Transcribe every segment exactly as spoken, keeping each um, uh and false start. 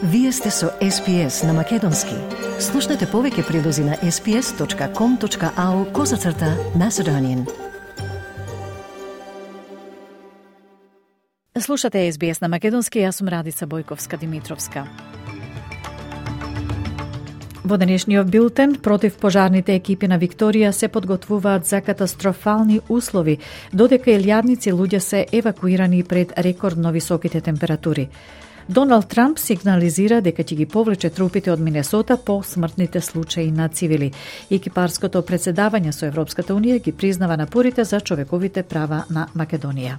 Вие сте со Ес Би Ес на Македонски. Слушнете повеќе прилози на ес би ес точка ком точка ау козацрта Macedonian. Слушате Ес Би Ес на Македонски, јас сум Радица Бојковска-Димитровска. Во денешниот билтен, против пожарните екипи на Викторија се подготвуваат за катастрофални услови, додека илјадници луѓе се евакуирани пред рекордно високите температури. Доналд Трамп сигнализира дека ќе ги повлече трупите од Минесота по смртните случаи на цивили. Екипарското председавање со Европската Унија ги признава напорите за човековите права на Македонија.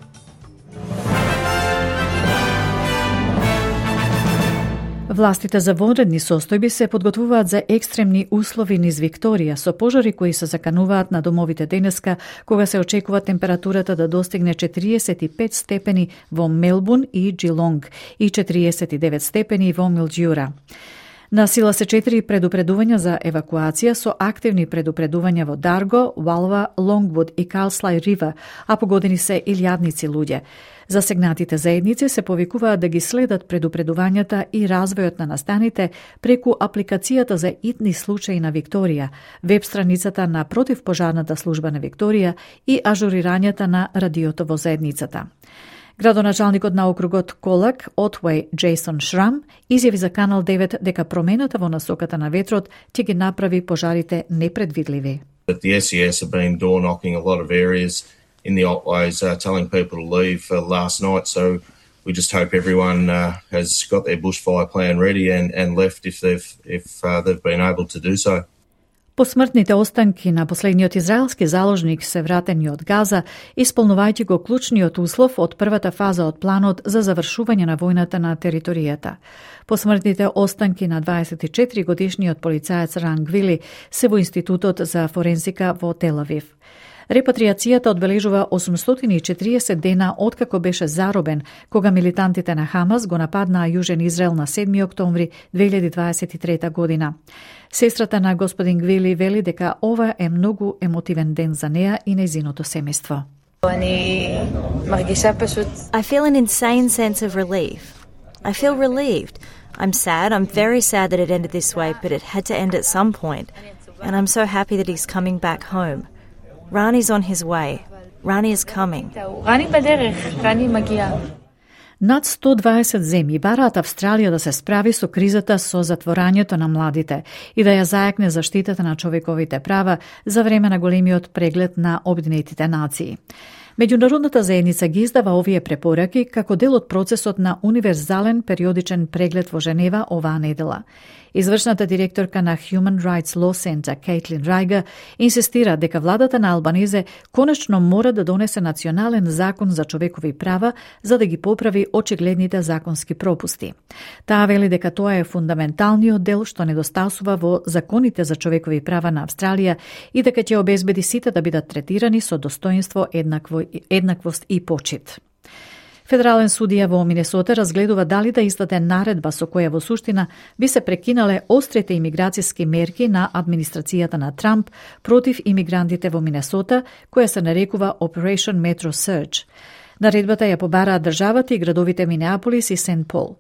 Властите за вонредни состојби се подготвуваат за екстремни услови низ Викторија, со пожари кои се закануваат на домовите денеска, кога се очекува температурата да достигне четириесет и пет степени во Мелбурн и Джилонг и четириесет и девет степени во Милџиура. На сила се четири предупредувања за евакуација со активни предупредувања во Дарго, Валва, Лонгвуд и Калслај Рива, а погодени се илјадници луѓе. Засегнатите заедници се повикуваат да ги следат предупредувањата и развојот на настаните преку апликацијата за итни случаи на Викторија, веб страницата на противпожарната служба на Викторија и ажурирањата на радиото во заедницата. Градоначалникот на округот Колак, Отвеј Джейсон Шрам, изјави за Канал девет дека промената во насоката на ветрот ќе ги направи пожарите непредвидливи. The С И С have been door knocking a lot of areas in the Otways, uh, telling people to leave uh, last night. So we just hope everyone uh, has got their bushfire plan ready and, and left if they've if uh, they've been able to do so. Посмртните останки на последниот израелски заложник се вратени од Газа, исполнувајќи го клучниот услов од првата фаза од планот за завршување на војната на територијата. Посмртните останки на дваесет и четири годишниот полицаец Ран Гвили се во Институтот за форензика во Тел Авив. Репатриацијата одбележува осумстотини и четириесет дена откако беше заробен, кога милитантите на Хамас го нападнаа Јужен Израел на седми октомври две илјади дваесет и трета година. Сестрата на господин Гвили вели дека ова е многу емотивен ден за неа и нејзиното семејство. I feel an insane sense of relief. I feel relieved. I'm sad. I'm very sad that it ended this way, but it had to end at some point. And I'm so happy that he's coming back home. Rani's on his way. Rani is coming. Над сто дваесет земји бараат Австралија да се справи со кризата со затворањето на младите и да ја зајакне заштитата на човековите права за време на големиот преглед на Обединетите нации. Меѓународната заедница ги издава овие препораки како дел од процесот на универзален периодичен преглед во Женева оваа недела. Извршната директорка на Human Rights Law Center, Кейтлин Рајга, инсистира дека владата на Албанезе конечно мора да донесе национален закон за човекови права за да ги поправи очигледните законски пропусти. Таа вели дека тоа е фундаменталниот дел што недостасува во законите за човекови права на Австралија и дека ќе обезбеди сите да бидат третирани со достоинство, еднакво, еднаквост и почит. Федерален судија во Минесота разгледува дали да издаде наредба со која во суштина би се прекинале острите имиграцијски мерки на администрацијата на Трамп против имигрантите во Минесота, која се нарекува Operation Metro Surge. Наредбата ја побараа државата и градовите Минеаполис и Сент Пол.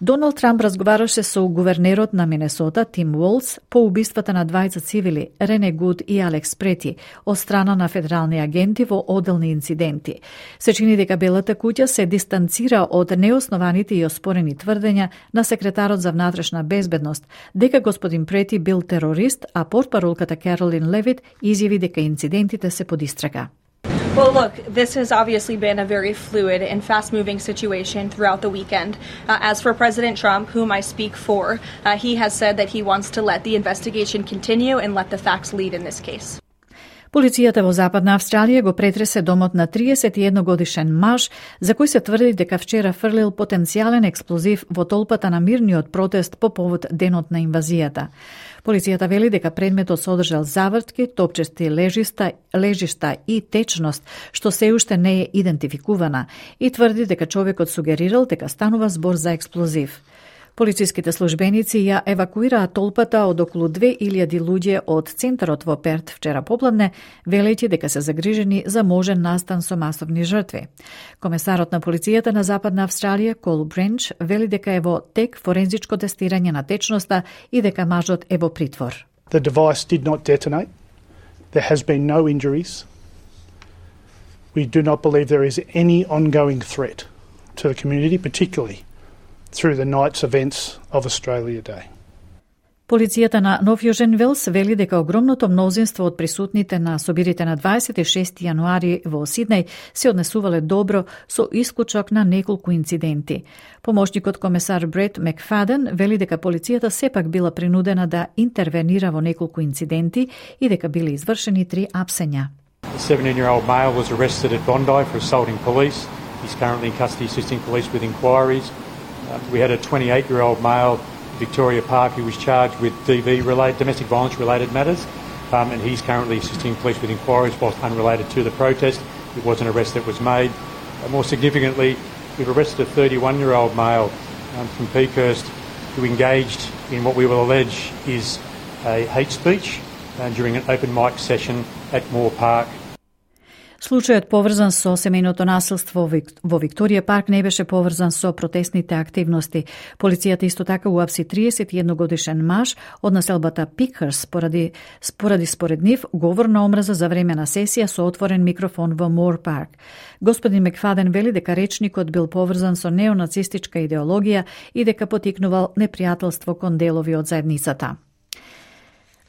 Доналд Трамп разговараше со гувернерот на Минесота Тим Уолс по убиствата на двајца цивили, Рене Гуд и Алекс Прети, од страна на федерални агенти во одделни инциденти. Се чини дека Белата куќа се дистанцира од неоснованите и оспорени тврдења на секретарот за внатрешна безбедност, дека господин Прети бил терорист, а портпаролката Каролин Левит изјави дека инцидентите се под истрага. Well, look, this has obviously been a very fluid and fast-moving situation throughout the weekend. Uh, as for President Trump, whom I speak for, uh, he has said that he wants to let the investigation continue and let the facts lead in this case. Полицијата во Западна Австралија го претресе домот на триесет и едногодишен маж, за кој се тврди дека вчера фрлил потенцијален експлозив во толпата на мирниот протест по повод денот на инвазијата. Полицијата вели дека предметот содржал завртки, топчести лежиста, лежишта и течност, што се уште не е идентификувана, и тврди дека човекот сугерирал дека станува збор за експлозив. Полициските службеници ја евакуираа толпата од околу две илјади луѓе од центарот во Перт вчера попладне, велејќи дека се загрижени за можен настан со масовни жртви. Комесарот на полицијата на Западна Австралија, Кол Бренч, вели дека е во тек форензичко тестирање на течноста и дека мажот е во притвор. The device did not detonate. There has been no injuries. We do not believe there is any ongoing threat to the community, particularly through the night's events of Australia Day. Полицијата на Нов Јужен Велс вели дека огромното мнозинство од присутните на собирите на дваесет и шести јануари во Сиднеј се однесувале добро со исклучок на неколку инциденти. Помошникот комесар Брет Макфаден вели дека полицијата сепак била принудена да интервенира во неколку инциденти и дека биле извршени три апсења. A seventeen-year-old male was arrested at Bondi for assaulting police. He's currently in custody assisting police with inquiries. Uh, we had a twenty-eight-year-old male, Victoria Park, who was charged with D V related, domestic violence related matters, um, and he's currently assisting police with inquiries whilst unrelated to the protest. It was an arrest that was made. Uh, more significantly, we've arrested a thirty-one-year-old male um, from Peakhurst who engaged in what we will allege is a hate speech uh, during an open mic session at Moore Park. Случајот поврзан со семејното насилство во Викторија Парк не беше поврзан со протестните активности. Полицијата исто така уапси триесет и едногодишен маж од населбата Пикхърс поради, поради според нив говор на омраза за време на сесија со отворен микрофон во Мор Парк. Господин Макфаден вели дека речникот бил поврзан со неонацистичка идеологија и дека потикнувал непријателство кон делови од заедницата.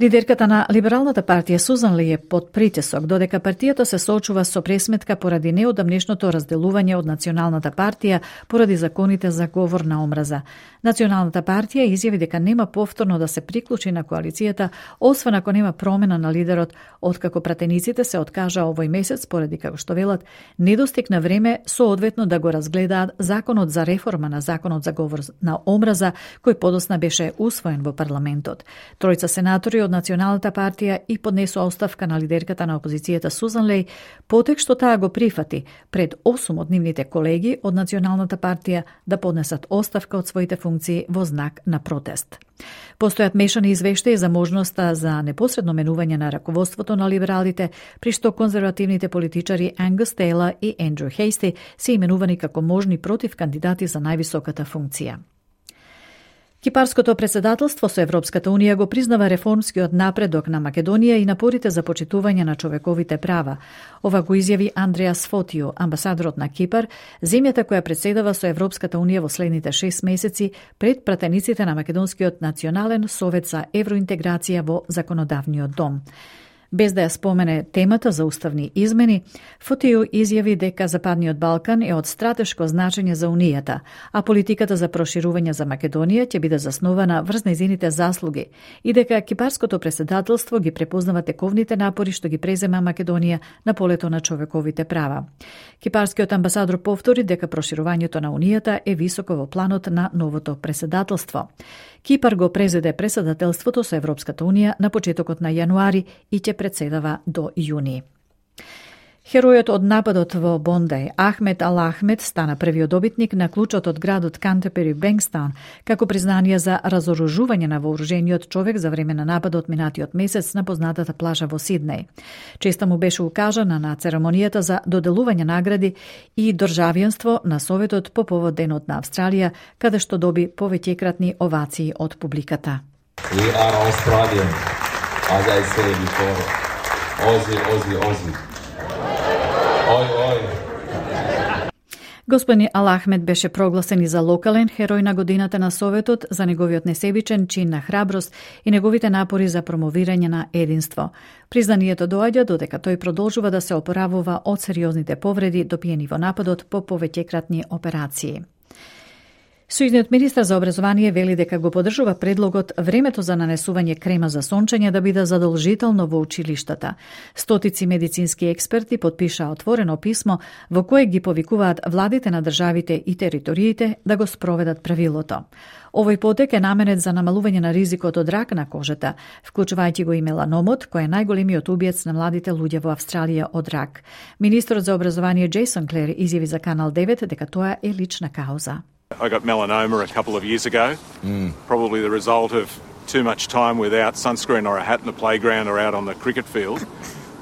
Лидерката на Либералната партија Сузан Ли е под притисок, додека партијата се соочува со пресметка поради неодамнешното разделување од Националната партија поради законите за говор на омраза. Националната партија изјави дека нема повторно да се приклучи на коалицијата, освен ако нема промена на лидерот, откако пратениците се откажа овој месец поради, како што велат, недостиг на време соодветно да го разгледаат законот за реформа на законот за говор на омраза, кој подосна беше усвоен во парламентот. Тројца сенатори од Националната партија и поднесоа оставка на лидерката на опозицијата Сузан Леј, потек што таа го прифати пред осум од нивните колеги од Националната партија да поднесат оставка од своите функции во знак на протест. Постојат мешани извештаи за можноста за непосредно менување на раководството на либералите, при што конзервативните политичари Ангус Тейлор и Ендрю Хейсти се именувани како можни против кандидати за највисоката функција. Кипарското председателство со Европската Унија го признава реформскиот напредок на Македонија и напорите за почитување на човековите права. Ова го изјави Андреас Фотио, амбасадорот на Кипар, земјата која председава со Европската Унија во следните шест месеци пред пратениците на Македонскиот национален совет за евроинтеграција во законодавниот дом. Без да ја спомене темата за уставни измени, Фотио изјави дека Западниот Балкан е од стратешко значење за Унијата, а политиката за проширување за Македонија ќе биде заснована врз нејзините заслуги и дека кипарското председателство ги препознава тековните напори што ги презема Македонија на полето на човековите права. Кипарскиот амбасадор повтори дека проширувањето на Унијата е високо во планот на новото председателство. Кипар го презеде председателството со Европската Унија на почетокот на јануари и ќе председава до јуни. Херојот од нападот во Бондеј, Ахмед Ал Ахмед, стана првиот добитник на клучот од градот Кантепери Бенкстаун, како признание за разоружување на вооружениот човек за време на нападот минатиот месец на познатата плажа во Сиднеј. Честа му беше укажана на церемонијата за доделување награди и државјанство на Советот по повод Денот на Австралија, каде што доби повеќекратни овации од публиката. We are Australian, as I said before. Aussie, Aussie, Aussie. Ой, ой. Господин Ал Ахмед беше прогласен и за локален херој на годината на Советот за неговиот несебичен чин на храброст и неговите напори за промовирање на единство. Признанието доаѓа додека тој продолжува да се опоравува од сериозните повреди допиени во нападот по повеќекратни операции. Сојузниот министар за образование вели дека го поддржува предлогот времето за нанесување крема за сончење да биде задолжително во училиштата. Стотици медицински експерти потпишаа отворено писмо во кое ги повикуваат владите на државите и териториите да го спроведат правилото. Овој потек е наменет за намалување на ризикот од рак на кожата, вклучувајќи го и меланомот, кој е најголемиот убиец на младите луѓе во Австралија од рак. Министерот за образование Джейсон Клер изјави за Канал девет дека тоа е лична кауза. I got melanoma a couple of years ago, Mm. probably the result of too much time without sunscreen or a hat in the playground or out on the cricket field.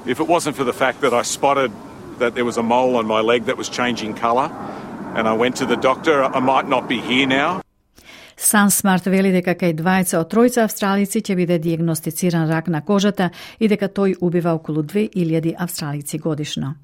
If it wasn't for the fact that I spotted that there was a mole on my leg that was changing colour and I went to the doctor, I might not be here now. SunSmart вели дека кај двајца од тројца австралици ќе биде диагностициран рак на кожата и дека тој убива околу две илјади австралици годишно.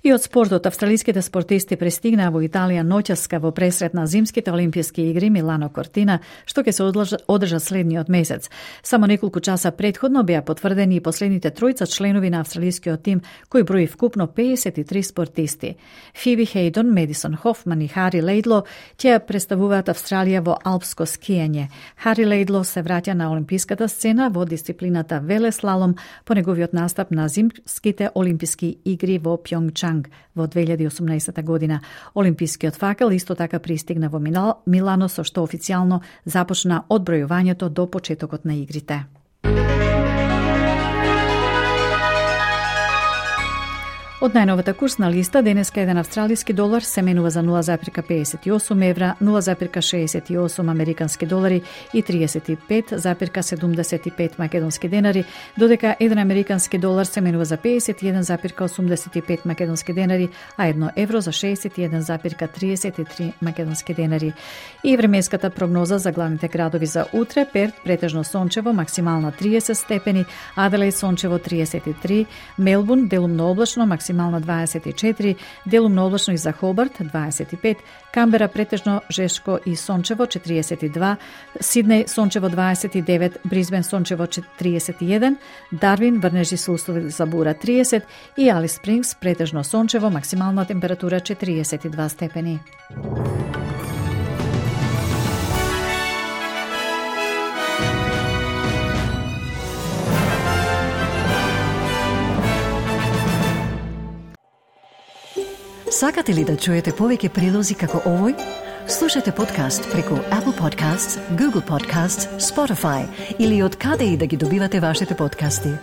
И од спортот, австралиските спортисти пристигнаа во Италија ноќаска во пресрет на зимските олимписки игри Милано Кортина, што ќе се одржа следниот месец. Само неколку часа претходно беа потврдени и последните тројца членови на австралискиот тим, кој брои вкупно педесет и три спортисти. Фиби Хейдон, Медисон Хофман и Хари Лейдло ќе представуваат Австралија во алпско скијање. Хари Лейдло се враќа на олимписката сцена во дисциплината велеслалом по неговиот настап на зимските олимписки игри во Пјонгчанг во две илјади и осумнаесета година. Олимпискиот факел исто така пристигна во Милано, со што официјално започна одбројувањето до почетокот на игрите. Од најновата курсна листа, денеска еден австралиски долар се менува за нула запирка педесет и осум евра, нула запирка шеесет и осум американски долари и триесет и пет запирка седумдесет и пет македонски денари, додека еден американски долар се менува за педесет и еден запирка осумдесет и пет македонски денари, а едно евро за шеесет и еден запирка триесет и три македонски денари. И временската прогноза за главните градови за утре: Перт претежно сончево, максимална триесет степени, Аделаид сончево триесет и три, Мелбурн делумно облачно, максимална дваесет и четири, делумно облачно и за Хобарт дваесет и пет, Камбера претежно жешко и сончево четириесет и два, Сиднеј сончево дваесет и девет, Брисбен сончево триесет и еден, Дарвин врнежи со услови за бура триесет и Алис Спрингс претежно сончево, максимална температура четириесет и два степени. Сакате ли да чуете повеќе прилози како овој? Слушате подкаст преку Apple Podcasts, Google Podcasts, Spotify или од каде и да ги добивате вашите подкасти.